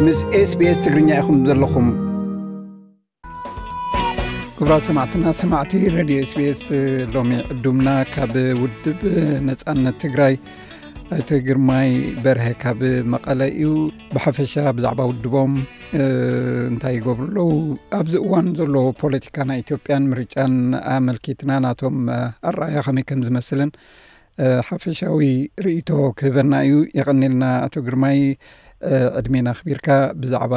ምስ SBS ትግርኛ ኢኹም ዘለኹም። ክቡራት ሰማዕትና፣ ሰማዕቲ ሬድዮ SBS፣ ሎሚ ዕዱምና ካብ ውድብ ነጻነት ትግራይ ኣይተ ግርማይ በርሀ ካብ መቐለ እዩ። ብሓፈሻ ብዛዕባ ውድቦም፣ እ፣ እንታይ ይገብሩ ኣለዉ፣ ኣብዚ እዋን ዘሎ ፖለቲካ ናይ ኢትዮጵያን ምርጫን ኣመልኪትና ናቶም፣ እ፣ ኣረኣእያ ከመይ ከም ዝመስልን፣ እ፣ ሓፈሻዊ ርእይቶ ክህበና እዩ። የቐኔልና ኣቶ ግርማይ፣ እ፣ ዕድሜና ኣኽቢርካ ብዛዕባ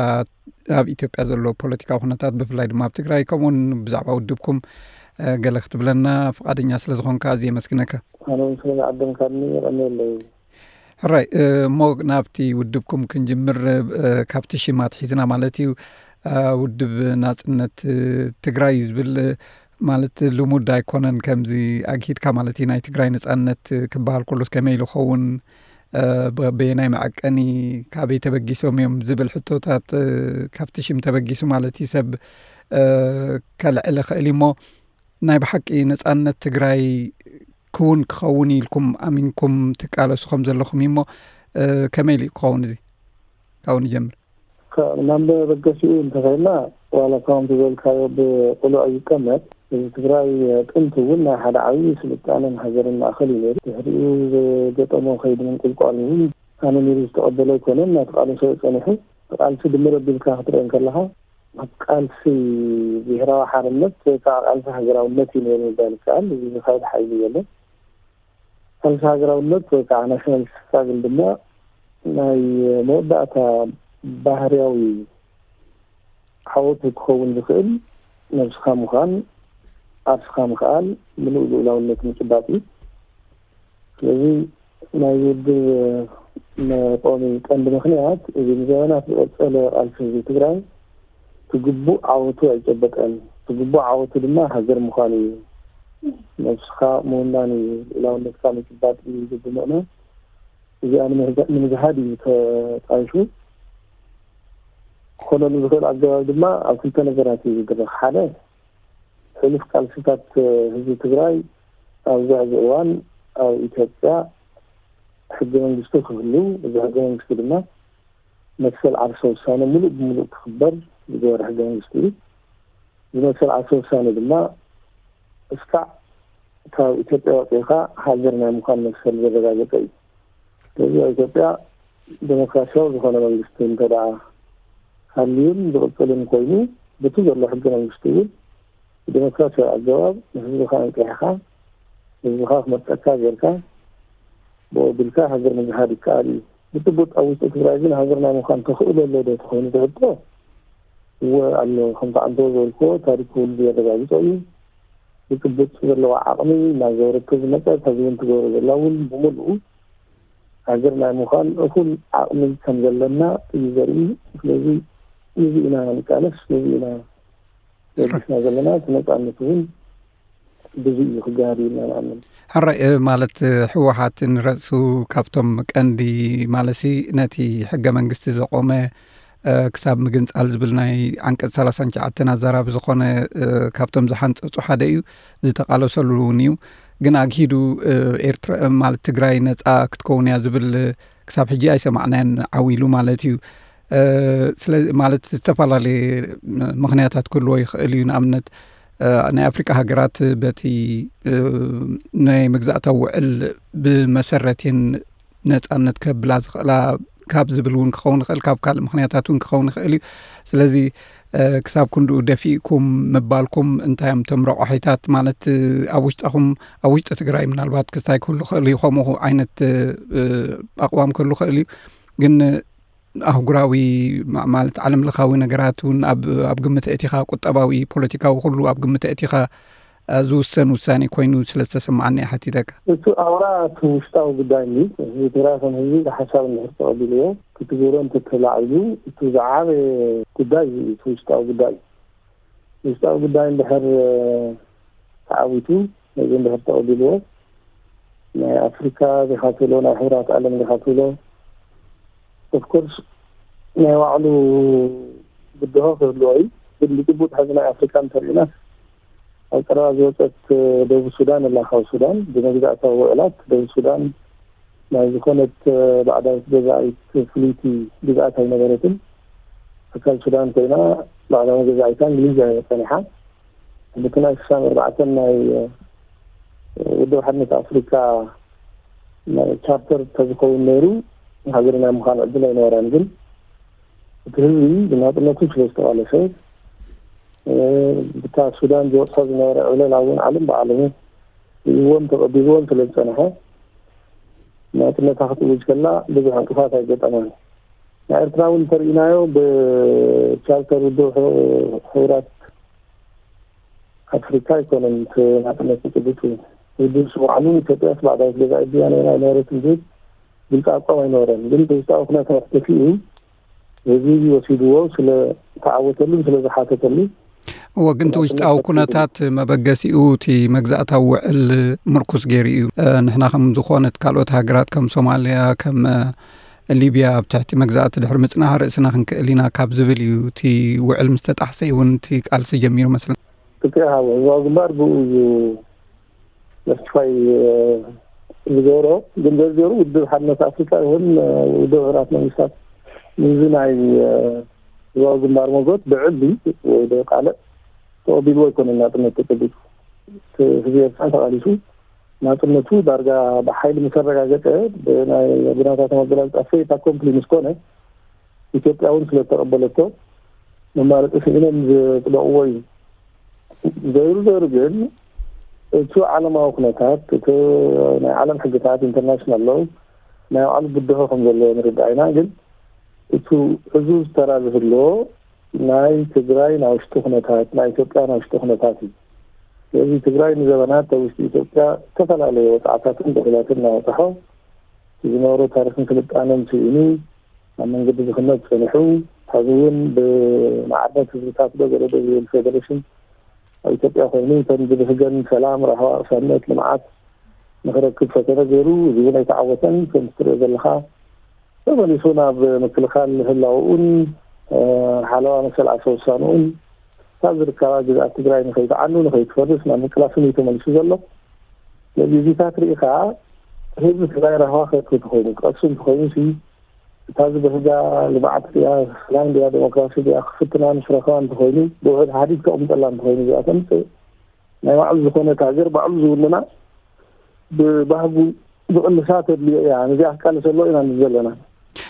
ኣብ ኢትዮጵያ ዘሎ ፖለቲካዊ ኩነታት፣ ብፍላይ ድማ ኣብ ትግራይ፣ ከምኡውን ብዛዕባ ውድብኩም፣ እ፣ ገለ ክትብለና ፍቓደኛ ስለ ዝኾንካ ኣዝየ የመስግነካ። ኣነ እውን ስለ ዝዓደምካኒ የቐንየለይ። ሕራይ፣ እ፣ እሞ ናብቲ ውድብኩም ክንጅምር፣ እ፣ ካብቲ ሽም ኣትሒዝና ማለት እዩ። እ፣ ውድብ ናጽነት፣ እ፣ ትግራይ እዩ ዝብል፣ እ፣ ማለት ልሙድ ኣይኮነን ከምዚ ኣግሂድካ ማለት እዩ። ናይ ትግራይ ነጻነት ክበሃል ከሎስ ከመይ ኢሉ ይኸውን፣ እ፣ ብ-፣ በየናይ መዐቀኒ፣ ካበይ ተበጊሶም እዮም ዝብል ሕቶታት፣ እ፣ ካብቲ ሽም ተበጊሱ ማለት እዩ ሰብ፣ እ፣ ከልዕል ይኽእል እዩ። እሞ ናይ ብሓቂ ነጻነት ትግራይ ክውን ክኸውን ኢልኩም ኣሚንኩም ትቃለሱ ከም ዘለኹም እዩ። እሞ፣ እ፣ ከመይ ኢሉ ክኸውን እዚ? ካብኡ ንጀምር። ከ-፣ ናብ መበገሲኡ እንተኸይድና፣ ዋላ ከምቲ ዝበልካዮ ብቕሉዕ ይቀመጥ። ህዝቢ ትግራይ ጥንቲ እውን ናይ ሓደ ዓብዪ ስልጣነን ሃገርን ማእኸል እዩ ነይሩ። ድሕሪኡ ዝገጠሞ ከይዲ ምንቁልቋል እውን ኣመኒሩ ዝተቐበሎ ኣይኮነን፣ እናተቓለሶ እዩ ጸኒሑ። ቃልሲ ድምር ኣቢልካ ክትርኢ እንከለኻ፣ ኣብ ቃልሲ ብሄራዊ ሓርነት ወይ ከዓ ቃልሲ ሃገራውነት እዩ ነይሩ ምባል ይከኣል። እዚ ዝኸይድ ሓይሊ የለን። ቃልሲ ሃገራውነት ወይ ከዓ ናሽናል ስትራግል ድማ ናይ መወዳእታ ባህርያዊ ዓወቱ ክኸውን ዝኽእል ነብስኻ ምዃን፣ ዓርስኻ ምኽኣል፣ ምሉእ ልኡላውነት ምጭባጥ እዩ። ስለዚ ናይ ውድብ መቆሚ ቀንዲ ምኽንያት፣ እዚ ንዘበናት ዝቐጸለ ቃልሲ ህዝቢ ትግራይ፣ እቲ ግቡእ ዓወቱ ኣይጨበጠን። እቲ ግቡእ ዓወቱ ድማ ሃገር ምዃን እዩ። ነብስኻ ምውናን እዩ፣ ልኡላውነትካ ምጭባጥ እዩ ዝብል ምእመን፣ እዚኣ ንምግዛ-፣ ንምግሃድ እዩ ተጣይሹ። ክኾነሉ ዝኽእል ኣገባብ ድማ ኣብ ክልተ ነገራት እዩ ዝድረኽ። ሓደ፣ ሕሉፍ ቃልስታት ህዝቢ ትግራይ ኣብዚ ሕዚ እዋን ኣብ ኢትዮጵያ ሕገ መንግስቲ ክህሉ፣ እዚ ሕገ መንግስቲ ድማ መሰል ዓርሰ ውሳነ ሙሉእ ብሙሉእ ክኽበር ዝገበረ ሕገ መንግስቲ እዩ። እዚ መሰል ዓርሰ ውሳነ ድማ እስካዕ ካብ ኢትዮጵያ ወፂእኻ ሃገር ናይ ምዃን መሰል ዘረጋገፀ እዩ። ስለዚ ኣብ ኢትዮጵያ ዴሞክራሲያዊ ዝኾነ መንግስቲ እንተ ደኣ ሃልዩን ዝቕፅልን ኮይኑ፣ በቲ ዘሎ ሕገ መንግስቲ እውን ብዴሞክራሲያዊ ኣገባብ ንህዝብኻ ኣንቂሕኻ፣ ህዝብኻ ክመርጸካ ጌርካ፣ ብኡ ኣቢልካ ሃገር ምዝሃድ ይከኣል እዩ። ብጭቡጥ ኣብ ውሽጢ ትግራይ ግን ሃገር ናይ ምዃን ተኽእሎ ኣሎ ዶ ተኾይኑ ዝሕቶ? እወ ኣሎ። ከምቲ ዓንተቦ ዝበልክዎ፣ ታሪክ ክውልዱ የረጋግጾ እዩ። ብጭቡጥ ዘለዋ ዓቕሚ እናገበረት ዝመጸት፣ ሕዚ እውን ትገብሮ ዘላ እውን ብምሉኡ ሃገር ናይ ምዃን እኹል ዓቕሚ ከም ዘለና እዩ ዘርኢ። ስለዚ ነዚ ኢና ንቃለስ፣ ነዚ ኢና ለቢስና ዘለና፣ እቲ ነጻነት እውን ብዙ እዩ ክገሃድ እዩ ኢልና ንኣምን። ሕራይ፣ እ፣ ማለት፣ እ፣ ህወሓት ንረእሱ ካብቶም ቀንዲ ማለሲ ነቲ ሕገ መንግስቲ ዘቆመ፣ እ፣ ክሳብ ምግንጻል ዝብል ናይ ዓንቀጽ ሰላሳን ትሽዓተን ኣዛራቢ ዝኾነ፣ እ፣ ካብቶም ዝሓንጸጹ ሓደ እዩ፣ ዝተቃለሰሉ እውን እዩ። ግን ኣግሂዱ፣ እ፣ ኤርትራ፣ እ፣ ማለት ትግራይ ነጻ ክትከውን እያ ዝብል፣ እ፣ ክሳብ ሕጂ ኣይሰማዕናዮን ዓው ኢሉ ማለት እዩ። እ፣ ስለ፣ ማለት ዝተፈላለየ ምኽንያታት ክህልዎ ይኽእል እዩ። ንኣብነት፣ እ፣ ናይ ኣፍሪቃ ሃገራት በቲ፣ እ፣ ናይ መግዛእታዊ ውዕል ብመሰረት እየን ነጻነት ከብላ ዝኽእላ ካብ ዝብል እውን ክኸውን ይኽእል፣ ካብ ካልእ ምኽንያታት እውን ክኸውን ይኽእል እዩ። ስለዚ፣ እ፣ ክሳብ ክንድኡ ደፊእኩም ምባልኩም እንታይ እዮም እቶም ረቋሒታት? ማለት፣ እ፣ ኣብ ውሽጣኹም፣ ኣብ ውሽጢ ትግራይ ምናልባት ክስታይ ክህሉ ይኽእል እዩ፣ ከምኡ ዓይነት፣ እ፣ እ፣ ኣቕዋም ክህሉ ይኽእል እዩ። ግን ኣህጉራዊ ማ-፣ ማለት ዓለም ለኻዊ ነገራት እውን ኣብ፣ ኣብ ግምት ኣእቲኻ፣ ቁጠባዊ፣ ፖለቲካዊ ኩሉ ኣብ ግምት ኣእቲኻ፣ እ፣ ዝውሰን ውሳኔ ኮይኑ ስለ ዝተሰማዓኒ እየ ሓቲተካ። እቲ ኣውራ እቲ ውሽጣዊ ጉዳይ እዩ። ህዝቢ ትግራይ ከም ህዝቢ ሓሳብ እንድሕር ተቐቢልዎ፣ ክትግብሮ እንተተላዒሉ፣ እቲ ዝዓበየ ጉዳይ እዩ፣ እቲ ውሽጣዊ ጉዳይ እዩ። ውሽጣዊ ጉዳይ እንድሕር፣ እ፣ ተዓዊቱ፣ ነዚ እንድሕር ተቐቢልዎ፣ ናይ ኣፍሪካ ዲኻ ትብሎ፣ ናይ ሕብራት ዓለም ዲኻ ትብሎ፣ ኦፍኮርስ ናይ ባዕሉ ብድሆ ክህልዎ እዩ። ግን ብጭቡጥ ሕዚ ናይ ኣፍሪካ እንተሪእና፣ ኣብ ቀረባ ዝወፀት ደቡብ ሱዳን ኣላ። ካብ ሱዳን ብመግዛእታዊ ውዕላት ደቡብ ሱዳን ናይ ዝኾነት ባዕዳዊት ገዛኢት ፍልይቲ ግዝኣት ኣይነበረትን። ኣካል ሱዳን ኮይና፣ ባዕላዊ ገዛኢታ እንግሊዝ እያ ጸኒሓ። ልክና ሽሳን ኣርባዕተን ናይ ውድብ ሓድነት ኣፍሪካ ናይ ቻርተር ተዝኸውን ነይሩ፣ ሃገርና ምዃን ዕድል ኣይነበረን። ግን እቲ ህዝቢ ብናጽነቱ ስለ ዝተቓለሰ፣ ብታ ሱዳን ዝበጽሖ ዝነበረ ዕብለላ እውን ዓለም ብዓለሙ ርእይዎን ተቐቢልዎን ስለ ዝጸንሐ፣ ናጽነታ ክትእውጅ ከላ ብዙሕ ዕንቅፋት ኣይገጠማን። ናይ ኤርትራ እውን እንተርኢናዮ፣ ብቻርተር ውድብ ሕቡራት ኣፍሪካ ኣይኮነን እቲ ናጽነት ዝጭብጥ። ውድብ ስሙ ዓሉ ኢትዮጵያ ባዕዳዊት ገዛኢት ድያ ነይራ ኣይነበረትን ዝብል ግልፂ ኣቋም ኣይነበረን። ግን ብውሽጣዊ ኩነታት ደፊኡ ህዝቢ ወሲድዎ ስለ ተዓወተሉን ስለ ዝሓተተሉ። እወ፣ ግን እቲ ውሽጣዊ ኩነታት መበገሲኡ እቲ መግዛእታዊ ውዕል ምርኩስ ገይሩ እዩ። ንሕና ከም ዝኾነት ካልኦት ሃገራት ከም ሶማልያ፣ ከም ሊብያ ኣብ ትሕቲ መግዛእቲ ድሕሪ ምጽናሕ ርእስና ክንክእል ኢና ካብ ዝብል እዩ። እቲ ውዕል ምስ ተጣሕሰ እውን እቲ ቃልሲ ጀሚሩ መስለኒ። እቲ ሃወ ህዝባዊ ግንባር ብኡ እዩ መስፋይ ዝገበሮ። ግን ዘርዚሩ ውድብ ሓድነት ኣፍሪካ ይኹን ውድብ ሕራት መንግስታት ንዚ ናይ ህዝባዊ ግንባር መጎት ብዕሊ ወይ ዶ ቃልዕ ተቐቢልዎ ኣይኮነን ናጽነት ተጨቢጡ። ህዝቢ ኤርትራ ተቓሊሱ ናጽነቱ ዳርጋ ብሓይሊ ምስ ኣረጋገጸ፣ ብናይ ኣቦናታት ኣገላልጻ ፌት ኣኮምፕሊ ምስ ኮነ፣ ኢትዮጵያ እውን ስለ እተቐበለቶ፣ መማረጺ ስኢኖም ዘጽደቕዎ እዩ። ዘይሩ ዘይሩ ግን፣ እቲ ዓለማዊ ኩነታት፣ እቲ ናይ ዓለም ሕግታት፣ ኢንተርናሽናል ሎው፣ ናይ ባዕሉ ብድሆ ከም ዘለዎ ንርዳእ ኢና። ግን እቲ ሕዙዝ ተራ ዝህልዎ ናይ ትግራይ ናይ ውሽጢ ኩነታት፣ ናይ ኢትዮጵያ ናይ ውሽጢ ኩነታት እዩ። ስለዚ ትግራይ ንዘበናት ኣብ ውሽጢ ኢትዮጵያ ዝተፈላለየ ወፅዓታትን በደላትን እናበፅሖ ዝነበሮ ታሪክን ስልጣነን ስኢኑ ኣብ መንገዲ ድኽነት ፀኒሑ፣ ሕዚ እውን ብማዕርነት ህዝብታት ዶ ገለ ዶ ዝብል ፌደሬሽን ኣብ ኢትዮጵያ ኮይኑ፣ እተን ብብህገን ሰላም፣ ራህዋ፣ ቅሳነት፣ ልምዓት ንክረክብ ፈተነ ገይሩ፣ እዚ እውን ኣይተዓወተን። ከምቲ ትሪኦ ዘለኻ ተመሊሱ ናብ ምክልኻል ህላውኡን ሓለዋ መሰል ዓርሰ ውሳንኡን ካብ ዝርከባ ግዝኣት ትግራይ ንከይትዓኑ፣ ንከይትፈርስ ናብ ምቅላስን እዩ ተመሊሱ ዘሎ። ስለዚ እዚታት ርኢኻ ህዝቢ ትግራይ ራህዋ ክረክብ እንተኾይኑ፣ ክቐሱ እንተኾይኑ ሲ እታ ዝበህጋ ልምዓት ድያ፣ ሰላም ድያ፣ ዴሞክራሲ ድያ ክፍትና ምስ ረኸባ እንተኾይኑ፣ ብውሕድ ሓዲግ ከቕምጠላ እንተኾይኑ እዚኣ ተምፅእ ናይ ባዕሉ ዝኾነት ሃገር ባዕሉ ዝውንና ብባህጉ ዝቕልሳ ተድልዮ እያ። ነዚኣ ክቃለሰሎ ኢና ንብል ዘለና።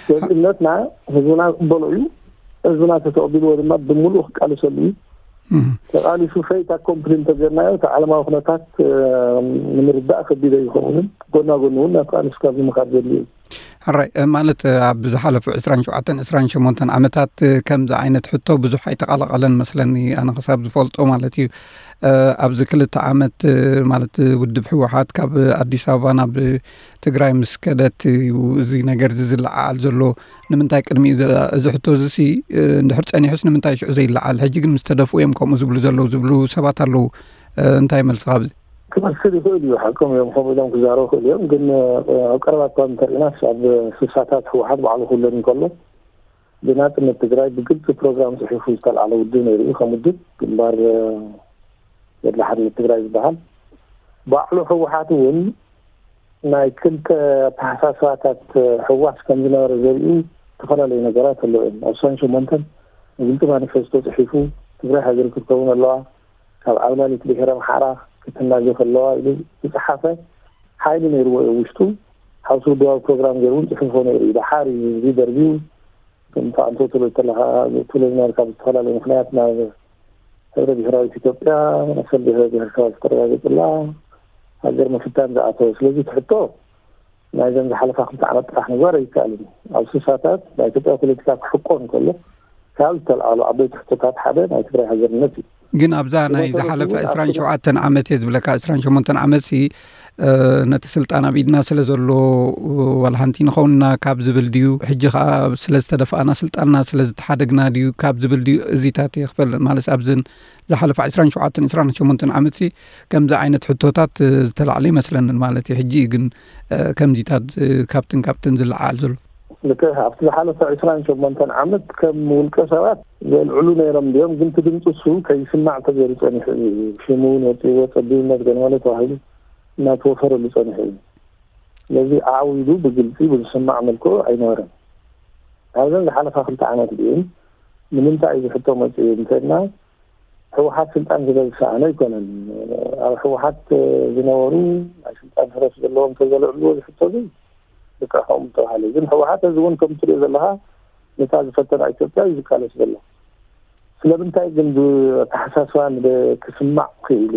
ስለዚ እምነትና ህዝብና ክቕበሎ እዩ። ህዝብና ተተቐቢልዎ ድማ ብምሉእ ክቃለሰሉ እዩ። እህ። ተቓሊሱ ፌት ኣኮምፕሊ እንተገርናዮ እቲ ዓለማዊ ኩነታት እ፣ ንምርዳእ ከቢድ ኣይኸውን። ጎና ጎኒ እውን ናብ ቃልሲ ካብ ምኻድ ዘድልዮ እዩ። ሕራይ፣ እ፣ ማለት፣ እ፣ ኣብ ዝሓለፉ ዕስራን ሸውዓተን ዕስራን ሸሞንተን ዓመታት፣ እ፣ ከምዚ ዓይነት ሕቶ ብዙሕ ኣይተቓላቐለን መስለኒ፣ ኣነ ክሳብ ዝፈልጦ ማለት እዩ። እ፣ ኣብዚ ክልተ ዓመት፣ እ፣ ማለት፣ እ፣ ውድብ ህወሓት ካብ ኣዲስ ኣበባ ናብ ትግራይ ምስ ከደት እዩ እዚ ነገር እዚ ዝለዓዓል ዘሎ። ንምንታይ ቅድሚኡ ዘ-፣ እዚ ሕቶ እዚ ሲ፣ እ፣ እንድሕር ጸኒሑስ ንምንታይ ሽዑ ዘይለዓል? ሕጂ ግን ምስ ተደፍኡ እዮም ከምኡ ዝብሉ ዘለዉ ዝብሉ ሰባት ኣለዉ። እ፣ እንታይ መልስኻ ኣብዚ? ክመስል ይኽእል እዩ፣ ሓቆም እዮም፣ ከምኡ ኢሎም ክዛረቡ ይኽእሉ እዮም። ግን፣ እ፣ ኣብ ቀረባ እኳ እንተሪእናስ ኣብ ስሳታት ህወሓት ባዕሉ ክውለድ እንከሎ ብናጽነት ትግራይ ብግልጺ ፕሮግራም ጽሒፉ ዝተልዓለ ውድብ ነይሩ እዩ። ከም ውድብ ግንባር፣ እ፣ ገድሊ ሓርነት ትግራይ ዝበሃል ባዕሉ ህወሓት እውን ናይ ክልተ ኣተሓሳስባታት ህዋስ ከም ዝነበረ ዘርእዩ ዝተፈላለዩ ነገራት ኣለዉ እዮም። ኣብ ዕስራን ሸሞንተን ብግልፂ ማኒፌስቶ ፅሒፉ፣ ትግራይ ሃገር ክትከውን ኣለዋ፣ ካብ ዓብላሊት ብሄረ ኣምሓራ ክትናገፍ ኣለዋ ኢሉ ዝፀሓፈ ሓይሊ ነይርዎ እዩ ውሽጡ። ሓውሲ ውድባዊ ፕሮግራም ገይሩ እውን ፅሑፎ ነይሩ እዩ። ደሓር እዩ እዚ ደርቢዩ ከም ተኣንቶ ትብል ከለኻ፣ ትብሎ ዝነበርካ ብዝተፈላለየ ምኽንያት ናብ ሕብረ ብሄራዊት ኢትዮጵያ፣ መሰል ብሄር ብሄረሰባት ዝተረጋገፅላ ሃገር ምፍታን ዝኣተወ። ስለዚ እቲ ሕቶ ናይዘን ዝሓለፋ ክልተ ዓመት ጥራሕ ምግባር ኣይከኣልን እዩ። ኣብ ስሳታት ናይ ኢትዮጵያ ፖለቲካ ክሕቆ እንከሎ ካብ ዝተልዓሉ ዓበይቲ ሕቶታት ሓደ ናይ ትግራይ ሃገርነት እዩ። ግን ኣብዛ ናይ ብመሰረቱ ዝሓለፈ እውን ኣብ ዕስራን ሸውዓተን ዓመት እየ ዝብለካ፣ ዕስራን ሸሞንተን ዓመት ሲ፣ እ፣ ነቲ ስልጣን ኣብ ኢድና ስለ ዘሎ፣ ዋላ ሓንቲ ንኸውንና ካብ ዝብል ድዩ? ሕጂ ኸኣ ስለ ዝተደፋእና፣ ስልጣንና ስለ ዝተሓደግና ድዩ ካብ ዝብል ድዩ? እዚታት እየ ክፈልጥ። ማለት ኣብዝን ዝሓለፈ ዕስራን ሸውዓተን ዕስራን ሸሞንተን ዓመት ሲ ከምዚ ዓይነት ሕቶታት፣ እ፣ ዝተላዕለ ይመስለንን ማለት እዩ። ሕጂ እዩ ግን፣ እ፣ ከምዚታት፣ እ፣ ካብትን ካብትን ዝለዓል ዘሎ። ልክዕ፣ ኣብቲ ዝሓለፈ ዕስራን ሸሞንተን ዓመት ከም ውልቀ ሰባት ዘልዕሉ ነይሮም ድዮም? ግን እቲ ድምፂ እሱ ከይስማዕ ተገይሩ ጸኒሑ እዩ። ሽሙ እውን ወፂእዎ፣ ጸቢብነት ገለ መለ ተባሂሉ እናተወፈረሉ ጸኒሑ እዩ። ስለዚ ዓው ኢሉ ብግልፂ ብዝስማዕ መልክዑ ኣይነበረን። ኣብዘን ዝሓለፋ ክልተ ዓመት ግን ንምንታይ እዩ ዝሕቶ መፅኡ እንተልና፣ ህወሓት ስልጣን ስለ ዝሰኣነ ኣይኮነን። ኣብ ህወሓት ዝነበሩ ናይ ስልጣን ህረፍ ዘለዎም ተዘልዕልዎ ዝሕቶ ግን ልክዕኹም ተባሃለ። ግን ህወሓት እዚ እውን ከም ትሪኦ ዘለኻ ነታ ዝፈተና ኢትዮጵያ እዩ ዝቃለስ ዘሎ። ስለምንታይ ግን ብኣተሓሳስባ ክስማዕ ክኢሉ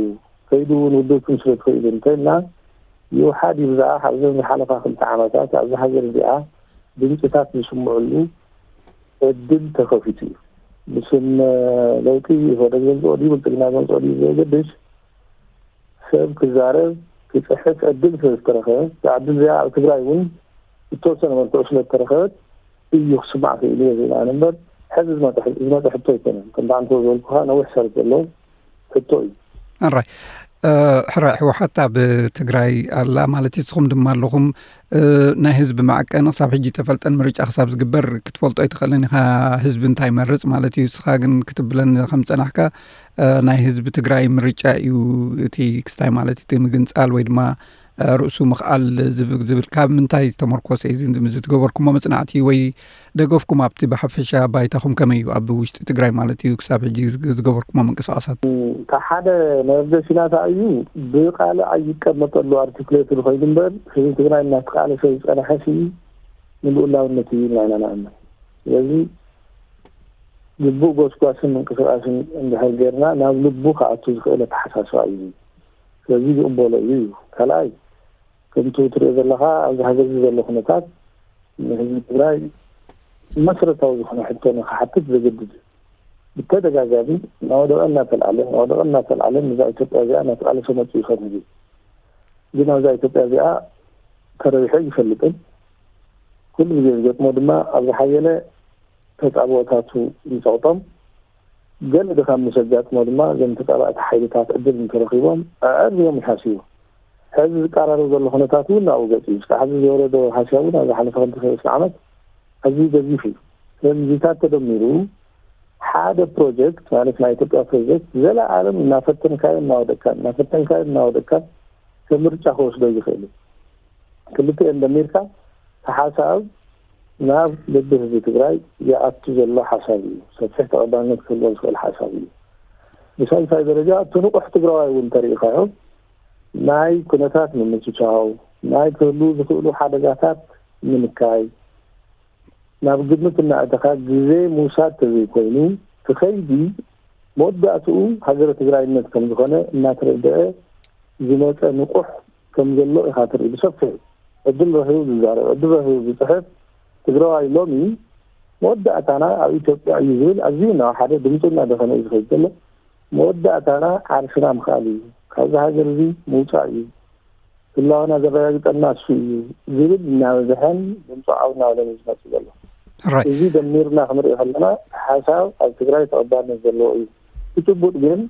ከይዱ እውን ውድብኩም ስለ ትኽእሉ እንተልና ይውሓድ ይብዛሕ ኣብዘን ዝሓለፋ ክልተ ዓመታት ኣብዚ ሃገር እዚኣ ድምፅታት ዝስምዕሉ ዕድል ተኸፊቱ እዩ። ብስም ለውጢ ኢህወደግ ዘምፅኦ ድዩ ብልፅግና ዘምፅኦ ድዩ ዘገድሽ ሰብ ክዛረብ ክፅሕፍ ዕድል ስለ ዝተረኸበ እዛ ዕድል እዚኣ ኣብ ትግራይ እውን ዝተወሰነ መልክዑ ስለ ዝተረኸበት እዩ ክስማዕ ክኢሉ እየ ዝብል ኣነ እምበር ሕዚ ዝመፀ ሕቶ ኣይኮነን። ከምቲ ኣንተ ዝበልኩኻ ነዊሕ ሰረት ዘለዎ ሕቶ እዩ። ኣራይ ሕራይ ህወሓት ኣብ ትግራይ ኣላ ማለት እዩ። ንስኹም ድማ ኣለኹም። ናይ ህዝቢ መዐቀኒ ክሳብ ሕጂ ተፈልጠን ምርጫ ክሳብ ዝግበር ክትፈልጦ ኣይትኽእልን ኢኻ ህዝቢ እንታይ ይመርፅ ማለት እዩ። ንስኻ ግን ክትብለን ከም ዝፀናሕካ ናይ ህዝቢ ትግራይ ምርጫ እዩ እቲ ክስታይ ማለት እቲ ምግንፃል ወይ ድማ ርእሱ ምኽኣል ዝብል ካብ ምንታይ ዝተመርኮሰ እዩ ዝትገበርኩሞ መፅናዕቲ ወይ ደገፍኩም ኣብቲ ብሓፈሻ ባይታኹም ከመይ እዩ ኣብ ውሽጢ ትግራይ ማለት እዩ ክሳብ ሕጂ ዝገበርኩሞ ምንቅስቃሳት? ካብ ሓደ መበገሲና ከኣ እዩ ብቃልዕ ኣይቀመጠሉ ኣርቲኩሌትድ ኮይኑ እምበር ህዝቢ ትግራይ እናተቃለሰ ዝፀንሐ ሲ ንልኡላውነት እዩ ኢልና ኢና ንኣምን። ስለዚ ግቡእ ጎስጓስን ምንቅስቃስን እንድሕር ጌርና ናብ ልቡ ክኣቱ ዝኽእል ኣተሓሳስባ እዩ። ስለዚ ዝቕበሎ እዩ እዩ። ካልኣይ ከምቲ ትሪኦ ዘለኻ ኣብዚ ሃገር እዚ ዘሎ ኩነታት ንህዝቢ ትግራይ መሰረታዊ ዝኾነ ሕቶ ንክሓትት ዘገድድ እዩ። ብተደጋጋሚ ናወደቐ እናተልዓለ ናወደቐ እናተልዓለ ነዛ ኢትዮጵያ እዚኣ እናተቃለሰ መፅኡ ይኸውን ህዝቢ። ግን ኣብዛ ኢትዮጵያ እዚኣ ተረቢሑ ይፈልጥን ኩሉ ግዜ ዝገጥሞ ድማ ኣብ ዝሓየለ ተፃብኦታቱ ይፀቕጦም። ገለ ድኻም ምስ ኣጋጥሞ ድማ እዞም ተፃባእቲ ሓይልታት ዕድል እንተረኺቦም ኣዕርዮም ይሃስዩ። ሕዚ ዝቀራረብ ዘሎ ኩነታት እውን ናብኡ ገፂ እዩ። እስካብ ሕዚ ዝወረዶ ሃስያ እውን ኣብ ዝሓለፈ ክልተ ሰለስተ ዓመት ኣዝዩ ገዚፍ እዩ። ስለዚ እዚታት ተደሚሩ ሓደ ፕሮጀክት ማለት ናይ ኢትዮጵያ ፕሮጀክት ዘለኣለም እናፈተንካዮ እናወደቅካን እናፈተንካዮ እናወደቅካን ከም ምርጫ ክወስዶ ይኽእል እዩ። ክልቲኤን ደሚርካ እቲ ሓሳብ ናብ ልቢ ህዝቢ ትግራይ ይኣቱ ዘሎ ሓሳብ እዩ። ሰፊሕ ተቐባልነት ክህልዎ ዝኽእል ሓሳብ እዩ። ብሳልሳይ ደረጃ እቲ ንቑሕ ትግራዋይ እውን እንተሪኢኻዮ ናይ ኩነታት ምምችቻው፣ ናይ ክህልዉ ዝኽእሉ ሓደጋታት ምንካይ ናብ ግምት እናእተኻ ግዜ ምውሳድ ተዘይኮይኑ እቲ ኸይዲ መወዳእትኡ ሃገረ ትግራይነት ከም ዝኾነ እናተረደአ ዝመፀ ንቑሕ ከም ዘሎ ኢኻ ትርኢ። ብሰፊሑ ዕድል ረኺቡ ዝዛረብ፣ ዕድል ረኺቡ ዝፅሕፍ ትግራዋይ ሎሚ መወዳእታና ኣብ ኢትዮጵያ እዩ ዝብል ኣዝዩ እናወሓደ ድምፁ እናደኸነ እዩ ዝኸይድ ዘሎ። መወዳእታና ዓርስና ምኽኣል እዩ፣ ካብዚ ሃገር እዚ ምውፃእ እዩ፣ ህላወና ዘረጋግፀልና እሱ እዩ ዝብል እናበዝሐን ድምፁ ዓው እናበለን እዩ ዝመፅእ ዘሎ። ሕራይ እዚ ደሚርና ክንሪኦ ከለና ሓሳብ ኣብ ትግራይ ተቐባልነት ዘለዎ እዩ። እቲ ጭቡጥ ግን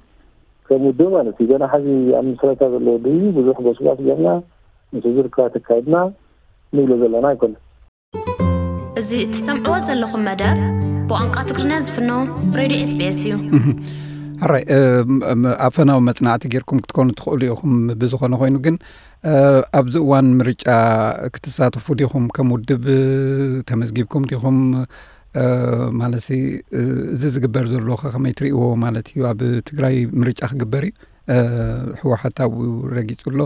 ከም ውድብ ማለት እዩ ገና ሓዚ ኣብ ምስረታ ዘሎ ውድብ እዩ። ብዙሕ ጎስጓስ ጌርና ምስ ህዝቢ ርክባት ኣካይድና ንብሎ ዘለና ኣይኮነን። እዚ እትሰምዕዎ ዘለኹም መደብ ብቋንቋ ትግርኛ ዝፍኖ ሬድዮ ኤስቢኤስ እዩ። ሕራይ ኣፈናዊ መፅናዕቲ ጌርኩም ክትኮኑ ትኽእሉ ኢኹም። ብዝኾነ ኮይኑ ግን ኣብዚ እዋን ምርጫ ክትሳተፉ ዲኹም? ከም ውድብ ተመዝጊብኩም ዲኹም? ማለት እዚ ዝግበር ዘሎ ከመይ ትርእይዎ ማለት እዩ? ኣብ ትግራይ ምርጫ ክግበር እዩ፣ ህወሓት ኣብኡ ረጊፁ ኣሎ።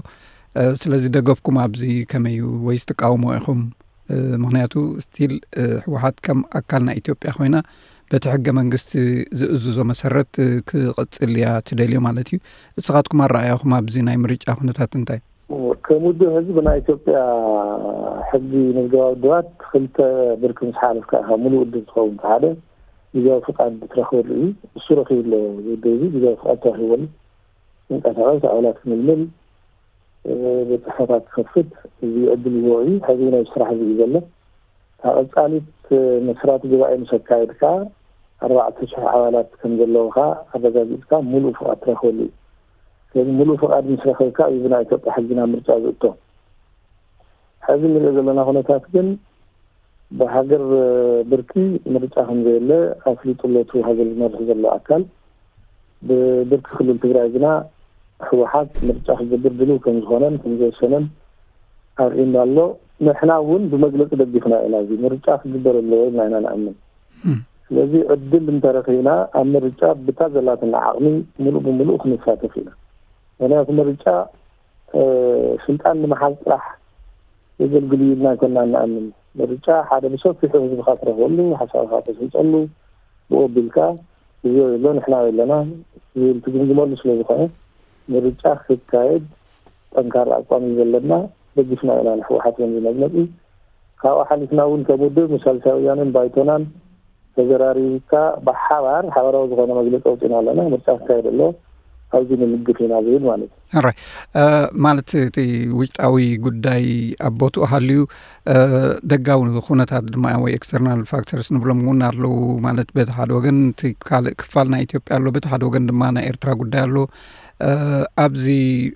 ስለዚ ደገፍኩም ኣብዚ ከመይ እዩ ወይስ ትቃወሞ ኢኹም? ምኽንያቱ ስቲል ህወሓት ከም ኣካል ናይ ኢትዮጵያ ኮይና በቲ ሕገ መንግስቲ ዝእዝዞ መሰረት ክቕፅል እያ ትደልዮ ማለት እዩ። እስኻትኩም ኣረኣያኹም ኣብዚ ናይ ምርጫ ኩነታት እንታይ? ከም ውድብ ሕዚ ብናይ ኢትዮጵያ ሕጊ ምዝገባ ውድባት ክልተ ብርኪ ምስ ሓለፍካ ኢኻ ሙሉእ ውድብ ትኸውን። እቲ ሓደ ግዝያዊ ፍቃድ ትረኽበሉ እዩ። እሱ ረኺቡ ኣሎ። ውድብ እዚ ግዝያዊ ፍቃድ ተረኺበሉ ክንቀሳቐስ ኣባላት ክምልምል ቤት ፅሕፈታት ክኸፍት እዚ ዕድል ይህቦ እዩ። ሕዚ እውን ኣብዚ ስራሕ እዚ እዩ ዘሎ። እታ ቀፃሊት መስራቲ ጉባኤ ምስ ኣካየድካ ኣርባዕተ ሽሕ ኣባላት ከም ዘለውኻ ኣረጋጊፅካ ሙሉእ ፍቓድ ትረኽበሉ እዩ። ስለዚ ሙሉእ ፍቓድ ምስ ረኸብካ እዩ ብናይ ኢትዮጵያ ሕጊ ናብ ምርጫ ዝእቶ። ሕዚ እንሪኦ ዘለና ኩነታት ግን ብሃገር ብርኪ ምርጫ ከም ዘየለ ኣፍሊጡ ኣሎ እቲ ሃገር ዝመርሕ ዘሎ ኣካል። ብብርኪ ክልል ትግራይ ግና ህወሓት ምርጫ ክገብር ድልው ከም ዝኾነን ከም ዝወሰነን ኣርእዩና ኣሎ። ንሕና እውን ብመግለፂ ደጊፍና ኢና። እዚ ምርጫ ክግበር ኣለዎ ኢልና ኢና ንኣምን። ስለዚ ዕድል እንተረኺብና ኣብ ምርጫ ብታ ዘላትና ዓቕሚ ምሉእ ብምሉእ ክንሳተፍ ኢና። ምክንያቱ ምርጫ ስልጣን ንምሓዝ ጥራሕ የገልግል እዩ ኢልና ኣይኮና እንኣምን። ምርጫ ሓደ ብሰፊሑ ህዝብካ ትረኽበሉ፣ ሓሳብካ ተስልጠሉ፣ ብኡ ኣቢልካ እዚ የሎ ንሕና ኣለና ዝብል ትግምግመሉ ስለ ዝኾነ ምርጫ ክካየድ ጠንካራ ኣቋም እዩ ዘለና። ደጊፍና ኢና ንሕወሓት ከምዚ መግለፂ። ካብኡ ሓሊፍና እውን ከም ውድብ ምስ ሳልሳይ ወያነን ባይቶናን ተዘራሪብካ ብሓባር ሓበራዊ ዝኾነ መግለፂ ኣውፂና ኣለና። ምርጫ ክካየድ ኣሎ፣ ኣብዚ ንልግፍ ኢና ዝብል ማለት እዩ። ራይ ማለት እቲ ውሽጣዊ ጉዳይ ኣብ ቦትኡ ሃልዩ ደጋዊ ኩነታት ድማ ወይ ኤክስተርናል ፋክተርስ ንብሎም እውን ኣለዉ። ማለት በቲ ሓደ ወገን እቲ ካልእ ክፋል ናይ ኢትዮጵያ ኣሎ፣ በቲ ሓደ ወገን ድማ ናይ ኤርትራ ጉዳይ ኣሎ። ኣብዚ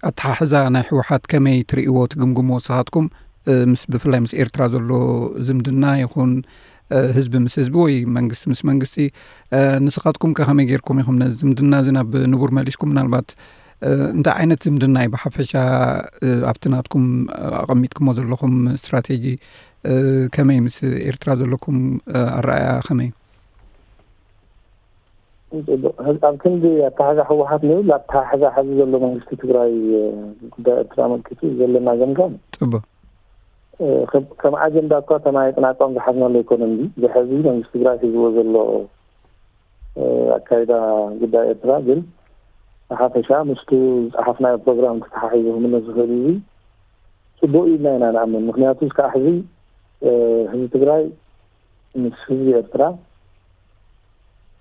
ኣተሓሕዛ ናይ ህወሓት ከመይ ትርእይዎ ትግምግምዎ ንስኻትኩም? ምስ ብፍላይ ምስ ኤርትራ ዘሎ ዝምድና ይኹን ህዝቢ ምስ ህዝቢ ወይ መንግስቲ ምስ መንግስቲ ንስኻትኩም ከ ከመይ ጌርኩም ኢኹም ነዚ ዝምድና እዚ ናብ ንቡር መሊስኩም? ምናልባት እንታይ ዓይነት ዝምድና እዩ ብሓፈሻ ኣብቲ ናትኩም ኣቐሚጥኩሞ ዘለኹም ስትራቴጂ ከመይ ምስ ኤርትራ ዘለኩም ኣረኣያ ከመይ እዩ? ኣብ ክንዲ ኣተሓዛ ህወሓት ንብል ኣተሓዛ ሐዚ ዘሎ መንግስቲ ትግራይ ጉዳይ ኤርትራ ኣመልኪቱ ዘለና ገምጋም ፅቡቅ ከም ኣጀንዳ እኳ ተማይጥና ኣቋም ዝሓዝናሉ ኣይኮነን። ዝሐዚ መንግስቲ ትግራይ ሒዝዎ ዘሎ ኣካይዳ ጉዳይ ኤርትራ ግን ብሓፈሻ ምስቱ ዝፀሓፍናዮ ፕሮግራም ተተሓሒዙ ክምለስ ዝኽእል እዩ። ፅቡቅ ኢልና ኢና ንኣምን። ምክንያቱ እስካዕ ሕዚ ህዝቢ ትግራይ ምስ ህዝቢ ኤርትራ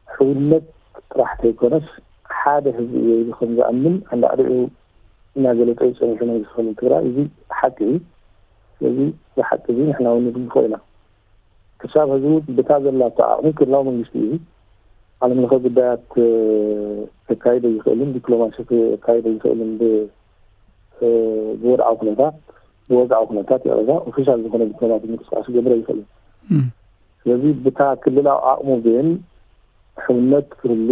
ሕውነት ጥራሕ ተይኮነስ ሓደ ህዝቢ እየ ኢሉ ከም ዝኣምን ኣንዳዕዲዑ እናገለፀ እዩ ፀኒሑ መንግስቲ ክልል ትግራይ። እዚ ሓቂ እዩ። ስለዚ እዚ ሓቂ እዚ ንሕና እውን ንድግፎ ኢና። ክሳብ ሕዚ እውን ብታ ዘላቶ ዓቕሚ ክልላዊ መንግስቲ እዩ። ዓለም ለኸ ጉዳያት ከካይዶ ይኽእልን ዲፕሎማሲ ከካይዶ ይኽእልን ብወድዓዊ ኩነታት ብወግዓዊ ኩነታት ይቕረታ ኦፊሻል ዝኾነ ዲፕሎማሲ ምንቅስቃስ ክገብረ ይኽእልን። ስለዚ ብታ ክልላዊ ዓቕሙ ግን ሕውነት ክህሉ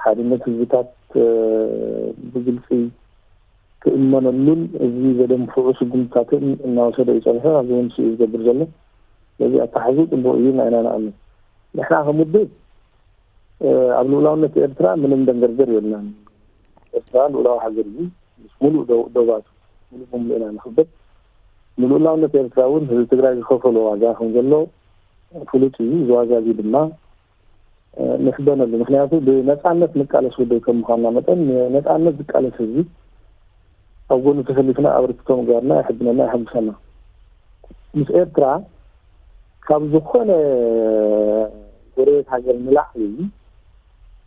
ሓድነት ህዝብታት ብግልፂ ክእመነሉን እዚ ዘደንፍዑ ስጉምትታትን እናወሰደ እዩ ፀኒሑ። ኣብዚ እውን ስኡ ዝገብር ዘሎ ስለዚ ኣተሓዙ ፅቡቅ እዩ ኢና ኢና ንኣምን። ንሕና ከም ውድብ ኣብ ልኡላውነት ኤርትራ ምንም ደንገርገር የብልናን። ኤርትራ ልኡላዊ ሃገር እዩ። ምስ ሙሉእ ዶ- ዶባቱ ሙሉእ ብሙሉእ ኢና ንኽብር። ንልኡላውነት ኤርትራ እውን ህዝቢ ትግራይ ዝኸፈሎ ዋጋ ከም ዘሎ ፍሉጥ እዩ። እዚ ዋጋ እዚ ድማ ንሕበነሉ። ምክንያቱ ብነፃነት ንቃለስ ውድብ ከም ምዃንና መጠን ንነፃነት ዝቃለስ ህዝቢ ኣብ ጎኑ ተሰሊፍና ኣበርክቶ ምግባርና የሕብነና የሐጉሰና። ምስ ኤርትራ ካብ ዝኾነ ጎረቤት ሃገር ንላዕሊ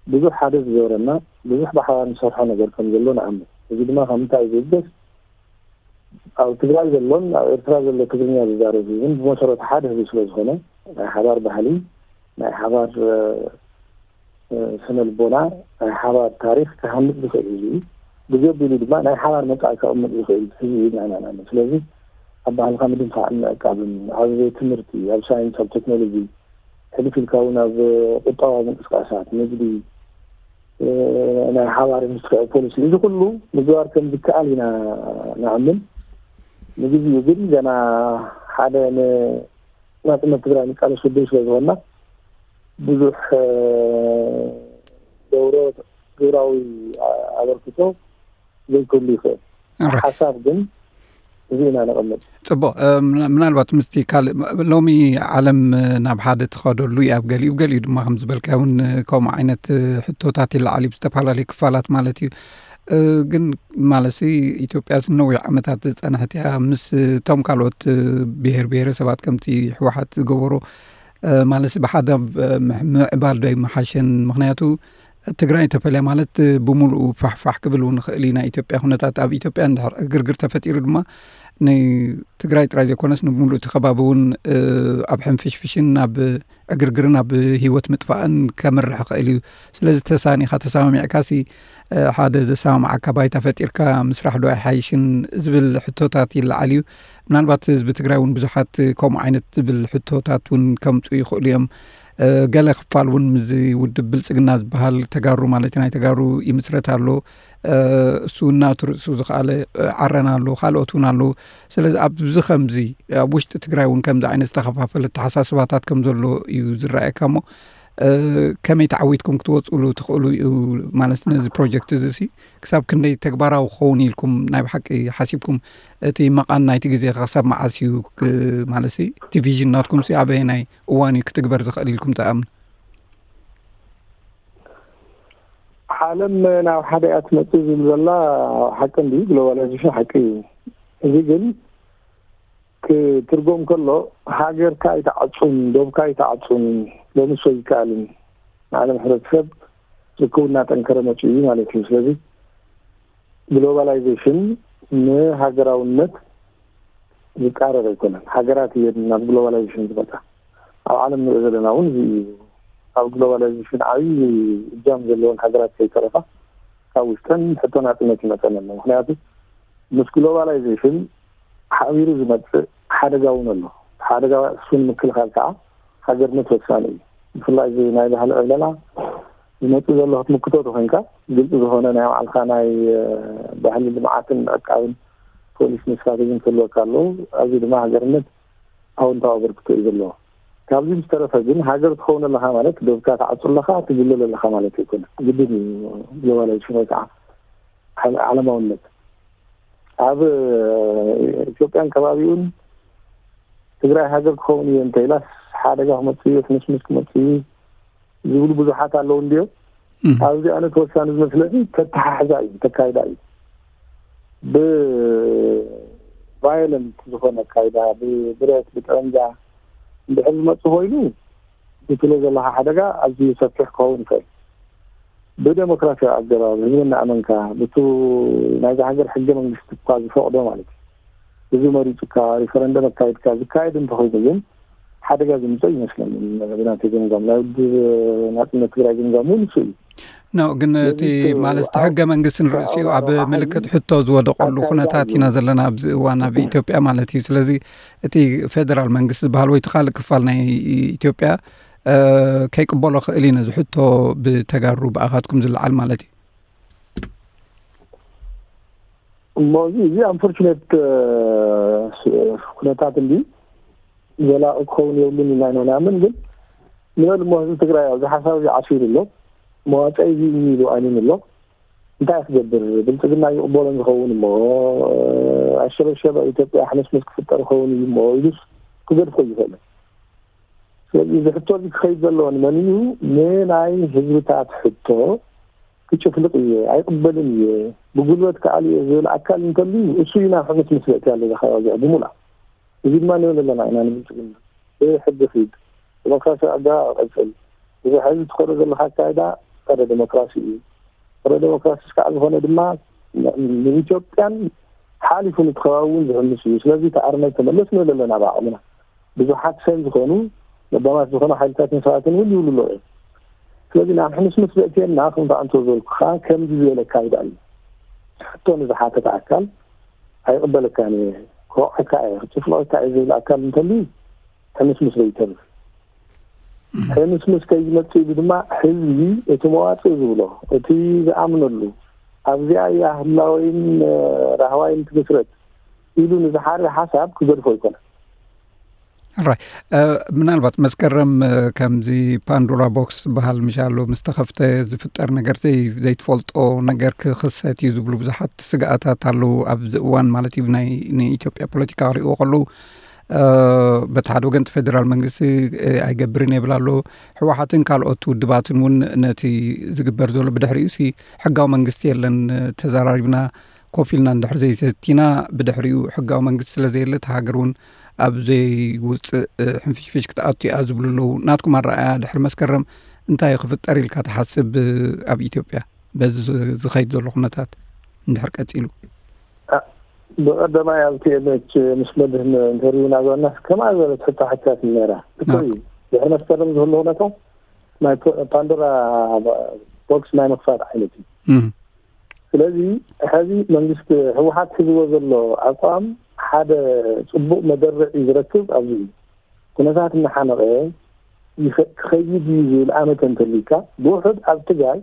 ብዙሕ ሓደ ዝገበረና ብዙሕ ብሓባር ንሰርሖ ነገር ከም ዘሎ ንኣምን። እዚ ድማ ካብ ምንታይ ዝብገስ ኣብ ትግራይ ዘሎን ኣብ ኤርትራ ዘሎ ትግርኛ ዝዛረብ ህዝብን ብመሰረቱ ሓደ ህዝቢ ስለ ዝኾነ ናይ ሓባር ባህሊ ናይ ሓባር ስነ ልቦና ናይ ሓባር ታሪክ ክሃንፅ ዝኽእል ህዝቢ እዩ። ብዘቢሉ ድማ ናይ ሓባር መፃኢ ከቕምጥ ዝኽእል ህዝቢ እዩ ናይና ናምን። ስለዚ ኣብ ባህልካ ምድንፋዕን ምዕቃብን ኣብ ትምህርቲ ኣብ ሳይንስ ኣብ ቴክኖሎጂ ሕልፍ ኢልካ እውን ኣብ ቁጠባዊ ምንቅስቃሳት ንግዲ ናይ ሓባር ኢንዱስትሪያዊ ፖሊሲ እዚ ኩሉ ምግባር ከም ዝከኣል ኢና ንኣምን። ንግዜኡ ግን ገና ሓደ ናጽነት ትግራይ ንቃለስ ውድብ ስለ ዝኾንና ብዙሕ ገብሮ ግብራዊ ኣበርክቶ ዘይክህሉ ይኽእል። ሓሳብ ግን እዚ ኢና ነቐምጥ። ጽቡቕ። ምናልባት ምስቲ ካልእ ሎሚ ዓለም ናብ ሓደ ትኸደሉ እዩ ኣብ ገሊኡ፣ ገሊኡ ድማ ከም ዝበልካ እውን ከምኡ ዓይነት ሕቶታት ይለዓል እዩ ብዝተፈላለዩ ክፋላት ማለት እዩ። ግን ማለትሲ ኢትዮጵያ ነዊሕ ዓመታት ዝጸንሐት እያ። ምስ እቶም ካልኦት ብሄር ብሄረሰባት ከምቲ ህወሓት ዝገበሮ ማለትሲ ብሓደ ምዕባል ዶ ይመሓሸን? ምክንያቱ ትግራይ ተፈልያ ማለት ብሙሉኡ ፋሕፋሕ ክብል እውን ይኽእል እዩ ናይ ኢትዮጵያ ኩነታት። ኣብ ኢትዮጵያ እንድሕር ዕግርግር ተፈጢሩ ድማ ንትግራይ ጥራይ ዘይኮነስ ንብሙሉእ እቲ ከባቢ እውን ኣብ ሕንፍሽፍሽን ኣብ ዕግርግርን ኣብ ህይወት ምጥፋእን ከምርሕ ይኽእል እዩ። ስለዚ ተሳኒኻ ተሰማሚዕካሲ ሓደ ዘሰማምዓካ ባይታ ፈጢርካ ምስራሕ ዶ ኣይሓይሽን ዝብል ሕቶታት ይለዓል እዩ። ምናልባት ህዝቢ ትግራይ እውን ብዙሓት ከምኡ ዓይነት ዝብል ሕቶታት እውን ከምፁ ይኽእሉ እዮም። ገለ ክፋል እውን ምዚ ውድብ ብልፅግና ዝበሃል ተጋሩ ማለት ናይ ተጋሩ ይምስረት ኣሎ። እሱ እናቱ ርእሱ ዝኸኣለ ዓረና ኣሎ፣ ካልኦት እውን ኣለዉ። ስለዚ ኣብዚ ከምዚ ኣብ ውሽጢ ትግራይ እውን ከምዚ ዓይነት ዝተኸፋፈለ ተሓሳስባታት ከም ዘሎ እዩ ዝረኣየካ እሞ ከመይ ተዓዊትኩም ክትወፅሉ ትኽእሉ እዩ? ማለት ነዚ ፕሮጀክት እዚ ሲ ክሳብ ክንደይ ተግባራዊ ክኸውን ኢልኩም ናይ ብሓቂ ሓሲብኩም? እቲ መቓን ናይቲ ግዜ ክሳብ መዓስ እዩ? ማለት እቲ ቪዥን ናትኩም ሲ ኣበየናይ እዋን እዩ ክትግበር ዝኽእል ኢልኩም ትኣምኑ? ዓለም ናብ ሓደ እያ ትመፅእ ዝብል ዘላ ሓቂ እንዲ ግሎባላይዜሽን ሓቂ እዩ። እዚ ግን ክትርጎም ከሎ ሃገርካ ኣይተዓፁን፣ ዶብካ ኣይተዓፁን፣ ሎሚ ሰው ይከኣልን ንዓለም ሕብረተሰብ ርክቡ እናጠንከረ መፅኡ እዩ ማለት እዩ። ስለዚ ግሎባላይዜሽን ንሃገራውነት ዝቃረብ ኣይኮነን። ሃገራት እየን ናብ ግሎባላይዜሽን ዝመፃ። ኣብ ዓለም ንሪኦ ዘለና እውን እዚ እዩ። ኣብ ግሎባላይዜሽን ዓብዪ እጃም ዘለወን ሃገራት ከይተረፋ ካብ ውሽጠን ሕቶ ናፅነት ይመፀን ኣሎ። ምክንያቱ ምስ ግሎባላይዜሽን ሓቢሩ ዝመፅእ ሓደጋ እውን ኣሎ። ሓደጋ እሱን ምክልኻል ከዓ ሃገርነት ወሳኒ እዩ። ብፍላይ እዚ ናይ ባህሊ ዕብለላ ዝመፅእ ዘሎ ክትምክቶ ተኮይንካ ግልፂ ዝኾነ ናይ ባዕልካ ናይ ባህሊ ልምዓትን ምዕቃብን ፖሊስን ስትራቴጂን ክህልወካ ኣለዎ። ኣብዚ ድማ ሃገርነት ኣወንታዊ ኣበርክቶ እዩ ዘለዎ። ካብዚ ዝተረፈ ግን ሃገር ትኸውን ኣለካ ማለት ዶብካ ትዓፁ ኣለካ ትግልል ኣለካ ማለት ኣይኮነ። ግድን እዩ ግሎባላይዜሽን ወይ ከዓ ዓለማውነት ኣብ ኢትዮጵያን ከባቢኡን ትግራይ ሃገር ክኸውን እየ እንተኢላስ ሓደጋ ክመፅእ እዩ፣ ሕምስምስ ክመፅእ እዩ ዝብሉ ብዙሓት ኣለዉ እንድዮም። ኣብዚ ኣነ ተወሳኒ ዝመስለኒ ተተሓሕዛ እዩ፣ ተካይዳ እዩ። ብቫዮለንት ዝኾነ ኣካይዳ ብብረት ብጠበንጃ እንድሕር ዝመፅእ ኮይኑ ዝትሎ ዘለካ ሓደጋ ኣዝዩ ሰፊሕ ክኸውን ይኽእል። ብደሞክራሲያዊ ኣገባብ ህዝቢ እናኣመንካ ብቱ ናይዛ ሃገር ሕገ መንግስቲ እኳ ዝፈቕዶ ማለት እዩ። ህዝቢ መሪፁካ ሪፈረንደም ኣካይድካ ዝካየድ እንተኾይኑ ግን ሓደጋ ዝምፀእ ይመስለኒ። ብናተይ ገምጋም ናይ ውድብ ናፅነት ትግራይ ገምጋም እውን ንሱ እዩ። ኖ ግን እቲ ማለት እቲ ሕገ መንግስቲ ንርእሲኡ ኣብ ምልክት ሕቶ ዝወደቀሉ ኩነታት ኢና ዘለና ኣብዚ እዋን ኣብ ኢትዮጵያ ማለት እዩ። ስለዚ እቲ ፌደራል መንግስቲ ዝበሃል ወይ እቲ ካልእ ክፋል ናይ ኢትዮጵያ ከይቅበሎ ክእል እዩ ነዚ ሕቶ ብተጋሩ ብኣኻትኩም ዝለዓል ማለት እዩ። እሞ እዚ እዚ ኣንፎርቹኔት ኩነታት እንዲ ዘላቂ ክኸውን የብሉን ኢና ኢና ንኣምን። ግን ንበል እሞ ህዝቢ ትግራይ ኣብዚ ሓሳብ እዚ ዓሲሩ ኣሎ፣ መዋፅኢ እዚ እዩ ኢሉ ኣሚኑ ኣሎ። እንታይ ክትገብር? ብልፅግና ይቕበሎን ዝኸውን እሞ ኣሸበሸበ ኢትዮጵያ ሕምስምስ ክፍጠር ይኸውን እዩ እሞ ኢሉስ ክገድፎ ይኽእል። ስለዚ እዚ ሕቶ እዚ ክኸይድ ዘለዎ ንመን እዩ? ንናይ ህዝብታት ሕቶ ክጭፍልቕ እየ፣ ኣይቕበልን እየ፣ ብጉልበት ክኣሉ እየ ዝብል ኣካል እንተልዩ እሱ እዩ ናብ ሕምስምስ ዘእትያ ኣሎ እዛ ከባቢ እዚኣ ብሙላ። እዚ ድማ ንብል ኣለና ኢና ንብልፅግና ብሕጊ ኺድ፣ ዲሞክራሲያዊ ኣገባብ ቀፅል፣ እዚ ሕዚ ትኸዶ ዘለካ ኣካይዳ ጸረ ዲሞክራሲ እዩ። ጸረ ዲሞክራሲ እስካዕ ዝኾነ ድማ ንኢትዮጵያን ሓሊፉ ንትኸባቢ እውን ዝሕምስ እዩ። ስለዚ እቲ ኣርነት ተመለስ ንብል ኣለና ብዓቕምና። ብዙሓት ሰብ ዝኾኑ ለባማት ዝኾኑ ሓይልታትን ሰባትን እውን ይብሉ ኣለዉ እዮም። ስለዚ ናብ ሕምስምስ ዘእትየና ከምቲ ኣንቶ ዝበልኩኻ ከምዚ ዝበለ ኣካይዳ እዩ። ሕቶ ንዝሓተተ ኣካል ኣይቕበለካን እየ፣ ክወቕዐካ እየ፣ ክጭፍልቐካ እየ ዝብል ኣካል እንተልዩ ሕምስምስ ዘይተርፍ። ሕምስምስ ከይመጽእ ኢሉ ድማ ህዝቢ እቲ መዋጽእ ዝብሎ እቲ ዝኣምነሉ ኣብዚኣ እያ ህላወይን ራህዋይን ትግስረት ኢሉ ንዝሓሪ ሓሳብ ክገድፎ ኣይኮነን። ራይ ምናልባት መስከረም ከምዚ ፓንዶራ ቦክስ ዝበሃል ምሻሎ ምስ ተኸፍተ ዝፍጠር ነገር ዘይትፈልጦ ነገር ክኽሰት እዩ ዝብሉ ብዙሓት ስግኣታት ኣለዉ ኣብዚ እዋን ማለት እዩ። ናይ ንኢትዮጵያ ፖለቲካ ክሪእዎ ከለዉ በቲ ሓደ ወገን እቲ ፌደራል መንግስቲ ኣይገብርን የብል ኣሎ። ህወሓትን ካልኦት ውድባትን እውን ነቲ ዝግበር ዘሎ ብድሕሪኡ ሲ ሕጋዊ መንግስቲ የለን ተዘራሪብና ኮፍ ኢልና እንድሕር ዘይሰቲና ብድሕሪኡ ሕጋዊ መንግስቲ ስለ ዘየለ እቲ ሃገር እውን ኣብ ዘይውፅእ ሕንፍሽፍሽ ክትኣቱ እያ ዝብሉ ኣለዉ። ናትኩም ኣረኣያ ድሕሪ መስከረም እንታይ ክፍጠር ኢልካ ትሓስብ ኣብ ኢትዮጵያ በዚ ዝኸይድ ዘሎ ኩነታት እንድሕር ቀፂሉ? ብቐደማይ ኣብ ቲኤምኤች ምስ መድህን ኢንተርቪው እናገበርና ከምኣ ዝበለት ሕቶ ሓቲታት ነራ። ትክክል እዩ። ድሕሪ መስከረም ዝህሉ ኩነታት ናይ ፓንዶራ ቦክስ ናይ ምክፋት ዓይነት እዩ። ስለዚ ሕዚ መንግስቲ ህወሓት ሒዝዎ ዘሎ ኣቋም ሓደ ፅቡቅ መደርዕ እዩ ዝረክብ ኣብዚ እዩ። ኩነታት እናሓመቐ ክኸይድ እዩ ዝብል ኣመተ እንተልዩካ ብውሕድ ኣብ ትግራይ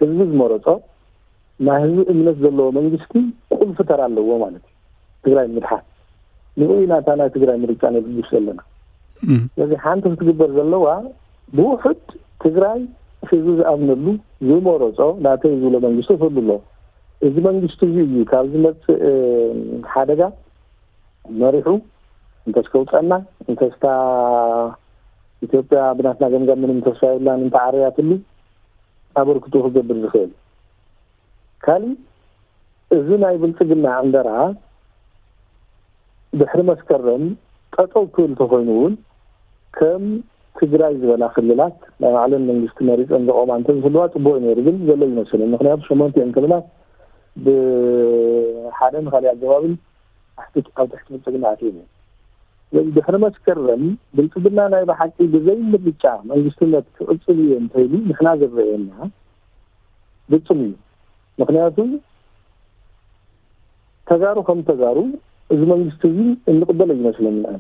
ህዝቢ ዝመረፆ ናይ ህዝቢ እምነት ዘለዎ መንግስቲ ቁልፊ ተራ ኣለዎ ማለት እዩ። ትግራይ ንምድሓን ንኡ ኢና እታ ናይ ትግራይ ምርጫ ነብግስ ዘለና። ስለዚ ሓንቲ ክትግበር ዘለዋ ብውሕድ ትግራይ ህዝቢ ዝኣምነሉ ዝመረፆ ናተይ ዝብሎ መንግስቲ ክህሉ ኣለዎ። እዚ መንግስቲ እዚ እዩ ካብ ዝመፅእ ሓደጋ መሪሑ እንተስከውፀና እንተስታ ኢትዮጵያ ብናትና ገምጋም ምንም ተስፋ የብላን እንተዓረያትሉ ኣበርክቶ ክገብር ዝኽእል። ካሊእ እዚ ናይ ብልፅግና ዕንደራ ድሕሪ መስከረም ጠጠው ክብል ተኮይኑ እውን ከም ትግራይ ዝበላ ክልላት ናይ ባዕለን መንግስቲ መሪፀን ዘቆማ እንተዝህልዋ ፅቡቅ ነይሩ፣ ግን ዘሎ ይመስለኒ። ምክንያቱ ሸሞንቲኦም ክልላት ብሓደን ካሊእ ኣገባብን ኣብ ትሕቲ ብልፅግና ኣትዮም እዮም። ስለዚ ድሕሪ መስከረም ብልፅግና ናይ ብሓቂ ብዘይ ምርጫ መንግስትነት ክቅፅል እዩ እንተይሉ ንሕና ዝረአየና ግፅም እዩ። ምክንያቱ ተጋሩ ከም ተጋሩ እዚ መንግስቲ እዚ እንቅበሎ ይመስለኒ። ኣነ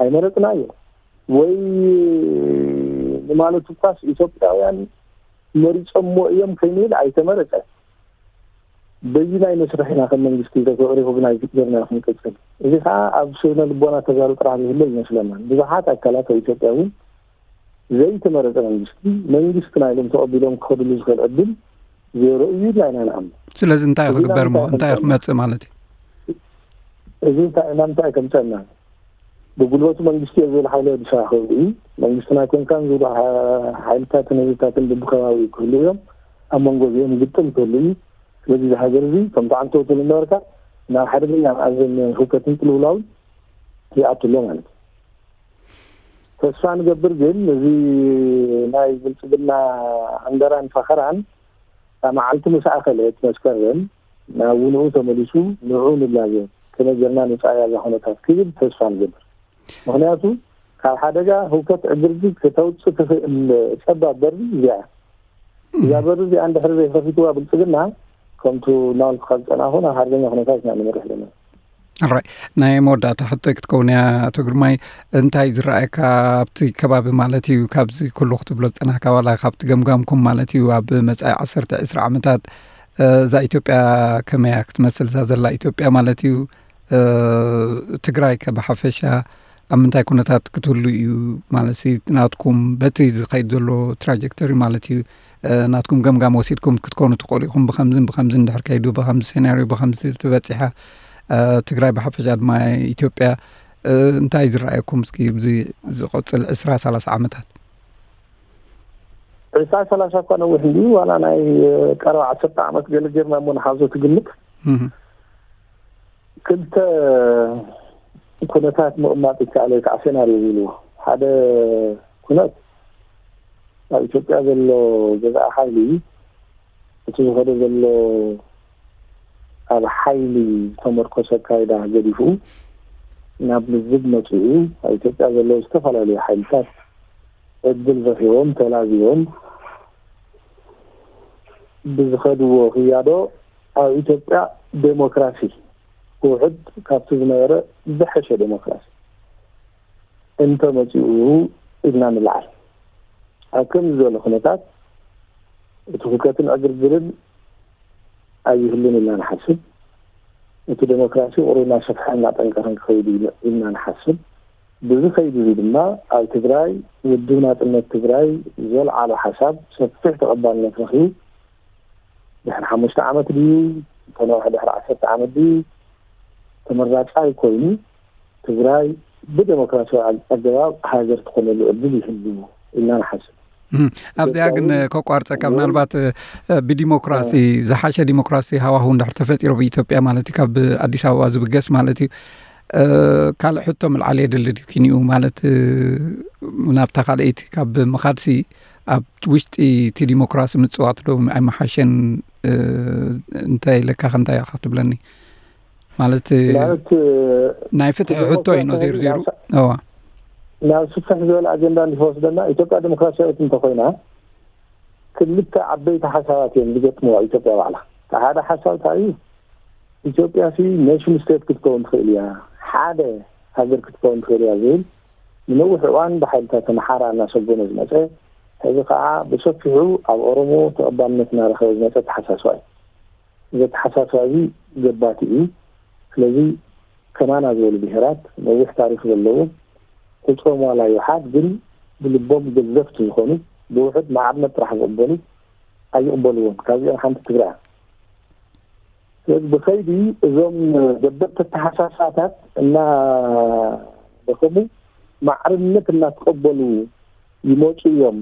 ኣይመረፅናዮ ወይ ንማለት እኳስ ኢትዮጵያውያን መሪፆሞ እዮም ከይንብል ኣይተመረፀ በይናይ መስርሕ ኢና ከም መንግስቲ ተሪኮግናይዝ ጌርና ክንቅፅል። እዚ ከዓ ኣብ ስነ ልቦና ተጋሩ ጥራሕ ዝህሎ ይመስለና። ብዙሓት ኣካላት ኣብ ኢትዮጵያ እውን ዘይተመረፀ መንግስቲ መንግስቲ ናይሎም ተቐቢሎም ክኸድሉ ዝኽእል ዕድል ዜሮ እዩ ኢልና ኢና ንኣምን። ስለዚ እንታይ ክግበር እሞ እንታይ ክመፅእ ማለት እዩ? እዚ እንታይ ናብ እንታይ ከምፀና ብጉልበቱ መንግስቲ እየ ዝብል ሓይሊ ኣዲስ ኣበባ ክህሉ እዩ። መንግስቲ ናይ ኮንካን ዝብሉ ሓይልታትን ህዝብታትን ብብከባቢኡ ክህሉ እዮም። ኣብ መንጎ እዚኦም ግጥም ክህሉ እዩ። ስለዚ እዚ ሃገር እዚ ከምቲ ዓንተወቱ ዝነበርካ ናብ ሓደገኛ መኣዘን ህውከትን ቅልውላውን ይኣቱ ኣሎ ማለት እዩ። ተስፋ ንገብር ግን እዚ ናይ ብልፅግና ዕንደራን ፈኸራን እታ መዓልቲ ምስ ኣኸለት መስከረም ናብ ውንኡ ተመሊሱ ንዑ ንላዘብ ከመይ ጌርና ንፃያ እዛ ኩነታት ክብል ተስፋ ንገብር። ምክንያቱ ካብ ሓደጋ ህውከት ዕግርግር ከተውፅእ ትኽእል ፀባብ በሪ እዚኣ እዛ በሪ እዚኣ እንድሕር ዘይከፊትዋ ብልፅግና ከምቱ እናበልኩካ ዝፀናኹ ናብ ሓደገኛ ኩነታት ኢና ንምርሕ ዘለና። ኣራይ ናይ መወዳእታ ሕቶይ ክትከውን እያ ኣቶ ግርማይ፣ እንታይ ዝረኣየካ ኣብቲ ከባቢ ማለት እዩ ካብዚ ኩሉ ክትብሎ ዝፀናሕካ ዋላ ካብቲ ገምጋምኩም ማለት እዩ ኣብ መፃኢ ዓሰርተ ዕስራ ዓመታት እዛ ኢትዮጵያ ከመያ ክትመስል እዛ ዘላ ኢትዮጵያ ማለት እዩ ትግራይ ከ ብሓፈሻ ኣብ ምንታይ ኩነታት ክትህሉ እዩ ማለት ናትኩም በቲ ዝኸይድ ዘሎ ትራጀክተሪ ማለት እዩ ናትኩም ገምጋም ወሲድኩም ክትኮኑ ትኽእሉ ኢኹም። ብከምዝን ብከምዝን እንድሕር ከይዱ ብከምዚ ሴናርዮ ብከምዚ ተበፂሓ ትግራይ ብሓፈሻ ድማ ኢትዮጵያ እንታይ ዝረኣየኩም እስኪ ብዚ ዝቆፅል ዕስራ ሰላሳ ዓመታት? ዕስራ ሰላሳ እኳ ነዊሕ እንዲዩ ዋላ ናይ ቀረባ ዓሰርተ ዓመት ገለ ጌርና እሞ ንሓዞ ትግምት ክልተ ኩነታት ምቕማጥ ይከኣል ወይ ከዓ ሴናርዮ ዝብልዎ ሓደ ኩነት ኣብ ኢትዮጵያ ዘሎ ገዛኢ ሓይሊ እቲ ዝኸዶ ዘሎ ኣብ ሓይሊ ዝተመርኮሰ ኣካይዳ ገዲፉ ናብ ልዝብ መፂኡ ኣብ ኢትዮጵያ ዘለዉ ዝተፈላለዩ ሓይልታት ዕድል ረኺቦም ተላዚቦም ብዝኸድዎ ክያዶ ኣብ ኢትዮጵያ ዴሞክራሲ ክውሕድ ካብቲ ዝነበረ ዝሐሸ ዴሞክራሲ እንተመፂኡ ኢልና ንልዓል። ኣብ ከምዚ ዝበለ ኩነታት እቲ ሁከትን ዕግርግርን ኣይህሉን ኢልና ንሓስብ። እቲ ዴሞክራሲ ቁሩብ እናሰፍሐ እናጠንቀረን ክኸይድ ኢልና ንሓስብ። ብዚ ከይዲ እዚ ድማ ኣብ ትግራይ ውድብ ናፅነት ትግራይ ዘልዓሎ ሓሳብ ሰፊሕ ተቐባልነት ረኺቡ ድሕሪ ሓሙሽተ ዓመት ድዩ ተነውሐ ድሕሪ ዓሰርተ ዓመት ድዩ ተመራፃይ ኮይኑ ትግራይ ብዴሞክራሲያዊ ኣገባብ ሃገር ትኾነሉ ዕድል ይህሉ ኢልና ንሓስብ። ኣብዚኣ ግን ከቋርፀካ ምናልባት ብዲሞክራሲ ዝሓሸ ዲሞክራሲ ሃዋሁ እንድሕር ተፈጢሩ ብኢትዮጵያ ማለት እዩ ካብ ኣዲስ ኣበባ ዝብገስ ማለት እዩ ካልእ ሕቶ ምልዓል የድሊ ድዩ ኪንኡ ማለት ናብታ ካልኣይቲ ካብ ምኻድሲ ኣብ ውሽጢ እቲ ዲሞክራሲ ምፅዋት ዶ ኣይመሓሸን እንታይ ኢለካ ከንታይ ኢኻ ክትብለኒ ማለት ናይ ፍትሒ ሕቶ እዩ ነዚሩ ዜሩ እዋ ናብ ስፍሕ ዝበለ ኣጀንዳ እንዲወስደና ኢትዮጵያ ዲሞክራሲያዊት እንተኮይና ክልተ ዓበይቲ ሓሳባት እዮም ዝገጥምዋ ኢትዮጵያ ባዕላ። እቲ ሓደ ሓሳብ እንታይ እዩ? ኢትዮጵያ ሲ ኔሽን ስቴት ክትከውን ትኽእል እያ፣ ሓደ ሃገር ክትከውን ትኽእል እያ ዝብል ንነዊሕ እዋን ብሓይልታት ኣምሓራ እናሰጎመ ዝመፀ፣ ሕዚ ከዓ ብሰፊሑ ኣብ ኦሮሞ ተቐባልነት እናረኸበ ዝመፀ ኣተሓሳስባ እዩ። እዚ ኣተሓሳስባ እዚ ገባቲ እዩ። ስለዚ ከማና ዝበሉ ብሄራት ነዊሕ ታሪክ ዘለዎም ቁፅሮም ዋላ ይውሓድ ግን ብልቦም ገዘፍቲ ዝኾኑ ብውሕድ ማዕርነት ጥራሕ ዝቕበሉ ኣይቕበልዎን። ካብዚኦም ሓንቲ ትግራይ። ስለዚ ብኸይዲ እዞም ገበርቲ ኣተሓሳስባታት እናደኸሙ ማዕርነት እናተቐበሉ ይመፁ እዮም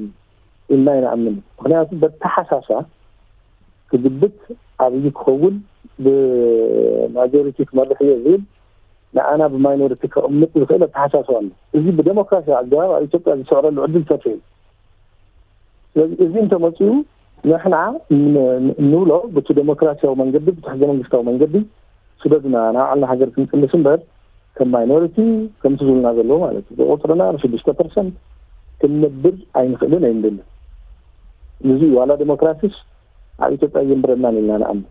ኢልና ይንኣምን። ምክንያቱ በተሓሳስባ ክግብት ኣብይ ክኸውን ብማጆሪቲ ክመርሕ እየ ዝብል ንኣና ብማይኖሪቲ ከቕምጥ ዝኽእል ኣተሓሳስባ ኣሎ። እዚ ብደሞክራሲያዊ ኣገባብ ኣብ ኢትዮጵያ ዝስዕረሉ ዕድል ሰፊሕ እዩ። ስለዚ እዚ እንተመፅኡ ንሕና ን- ን- እንብሎ ብቲ ደሞክራሲያዊ መንገዲ ብቲ ሕገ መንግስታዊ መንገዲ ስደዱና ናብ ዓልና ሃገር ክንቅልስ እምበር ከም ማይኖሪቲ ከምቲ ዝብሉና ዘለዎ ማለት እዩ ብቁፅርና ብሽዱሽተ ፐርሰንት ክንነብር ኣይንኽእልን ኣይንደልን። እዚ ዋላ ዲሞክራሲስ ኣብ ኢትዮጵያ የንብረናን ኢልና ንኣምን።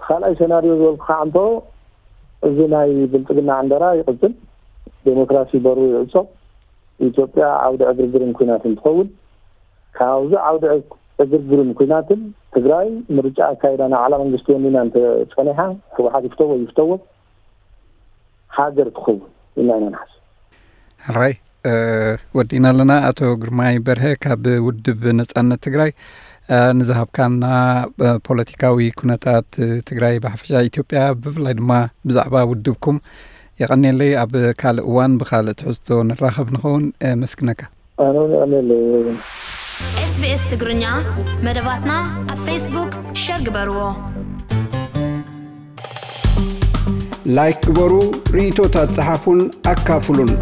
ካልኣይ ሰናርዮ ዝበልኩ ከዓ እንቶ እዚ ናይ ብልፅግና ዕንደራ ይቕፅል፣ ዴሞክራሲ በሩ ይዕፆ፣ ኢትዮጵያ ዓውዲ ዕግርግርን ኩናትን ትኸውን። ካብዚ ዓውዲ ዕግርግርን ኩናትን ትግራይ ምርጫ ኣካይዳ ንዓላ መንግስቲ ወኒና እንተፀኒሓ ህወሓት ይፍተዎ ይፍተዎ ሃገር ትኸውን ኢልና ኢና ንሓስብ። ሕራይ ወዲእና ኣለና። ኣቶ ግርማይ በርሀ ካብ ውድብ ነፃነት ትግራይ ንዝሃብካና ፖለቲካዊ ኩነታት ትግራይ ብሓፈሻ ኢትዮጵያ ብፍላይ ድማ ብዛዕባ ውድብኩም የቐንየለይ። ኣብ ካልእ እዋን ብካልእ ትሕዝቶ ንራኸብ ንኸውን። መስግነካ። ኣነ እውን የቐንየለይ። SBS ትግርኛ መደባትና ኣብ ፌስቡክ ሸር ግበርዎ። ላይክ ግበሩ፣ ርእይቶታት ጸሓፉን ኣካፍሉን።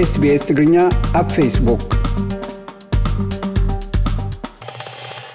SBS ትግርኛ ኣብ ፌስቡክ።